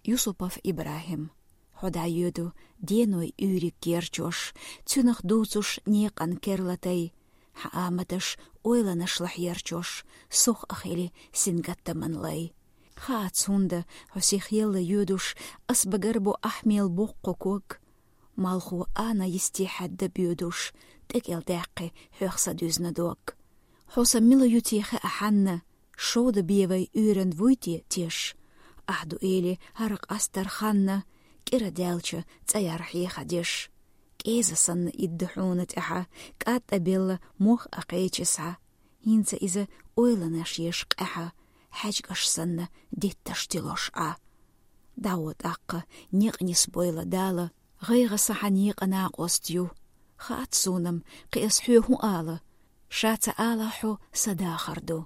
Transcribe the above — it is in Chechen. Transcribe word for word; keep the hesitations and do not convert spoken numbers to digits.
Юсупов Ибрахим. Хьо дӀайоьду деной уьйриг герчош, цуьнах дувцуш некъан керлатай. Хьан аматаш ойланашла хьерчош, сох а хили сингаттаман лай. Хаац хӀунда хьо сих елла йоьдуш, ас багарбу ахь мел боккха ког. Малхо ана йисте хьадда боьдуш, тӀекӀел даьккхи хьох са дуьзна дог. Хьо сан мила ю те хаа хьанна, шовда бевай уьйран вуй те теш? Ахь ду эли хӀара къастар ханна, кӀира даьлча цӀаяр хьеха деш. КӀеза санна идда хьуна тӀехьа, кӀатӀа белла мох а кхечи схьа. ХӀинца иза ойланаш еш къаьхьа, хьаьжкӀаш санна дитташ тилош Ӏа. ДӀагӀо тӀаккха, некъ нисбойла Дала, гӀайгӀа са хьан некъа накъост ю. Хаац сунам, кхи ас хьоь хӀун ала? Ша ца ала хьо са дахар ду.